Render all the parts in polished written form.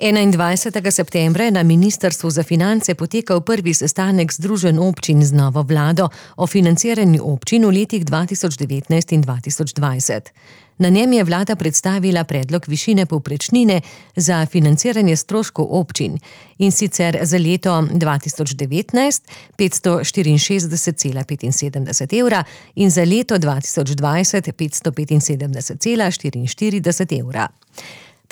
21. septembra je na Ministrstvu za finance potekal prvi sestanek Združenj občin z novo vlado o financiranju občin v letih 2019 in 2020. Na njem je vlada predstavila predlog višine povprečnine za financiranje stroškov občin, in sicer za leto 2019 564,75 evra in za leto 2020 575,44 evra.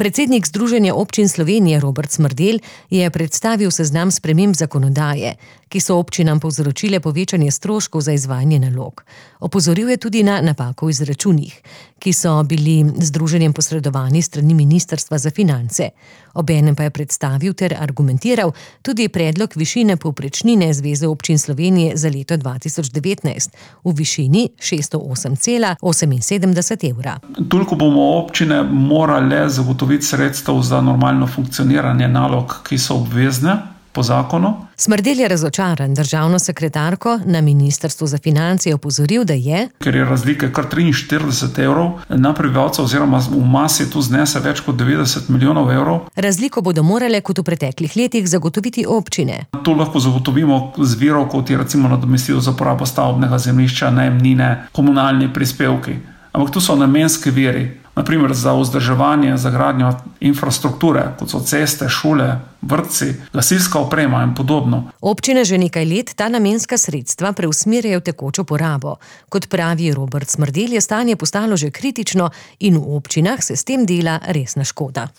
Predsednik Združenja občin Slovenije Robert Smrdelj je predstavil seznam sprememb zakonodaje, ki so občinam povzročile povečanje stroškov za izvajanje nalog. Opozoril je tudi na napako v izračunih, ki so bili združenjem posredovani strani Ministrstva za finance. Obenem pa je predstavil ter argumentiral tudi predlog višine povprečnine Zveze občin Slovenije za leto 2019 v višini 608,78 evra. Toliko bomo občine morale zagotoviti sredstev za normalno funkcioniranje nalog, ki so obvezne po zakonu. Smrdelj je razočaran. Državno sekretarko na Ministrstvu za finance je opozoril, da je, ker je razlika kar 43 evrov na prebivalca oziroma v masi tu znese več kot 90 milijonov evrov. Razliko bodo morale kot v preteklih letih zagotoviti občine. To lahko zagotovimo z virov, kot je recimo nadomestilo za porabo stavbnega zemljišča, najemnine, komunalni prispevki. Ampak tu so namenski viri. Na primer za vzdrževanje, za gradnjo infrastrukture, kot so ceste, šole, vrtci, gasilska oprema in podobno. Občine že nekaj let ta namenska sredstva preusmerjajo v tekočo porabo. Kot pravi Robert Smrdelj, je stanje postalo že kritično in v občinah se s tem dela resna škoda.